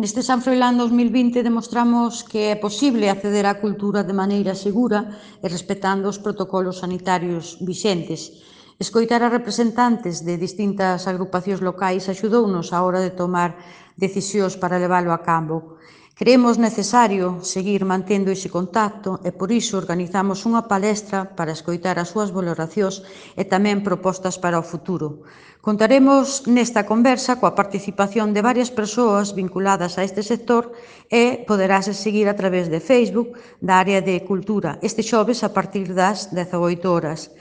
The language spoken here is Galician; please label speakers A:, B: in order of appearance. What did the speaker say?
A: Neste San Froilán 2020 demostramos que é posible acceder á cultura de maneira segura e respetando os protocolos sanitarios vixentes. Escoitar a representantes de distintas agrupacións locais axudounos á hora de tomar decisións para leválo a cabo. Creemos necesario seguir mantendo ese contacto e por iso organizamos unha palestra para escoitar as súas valoracións e tamén propostas para o futuro. Contaremos nesta conversa coa participación de varias persoas vinculadas a este sector e poderase seguir a través de Facebook da área de Cultura este xoves a partir das 18 horas.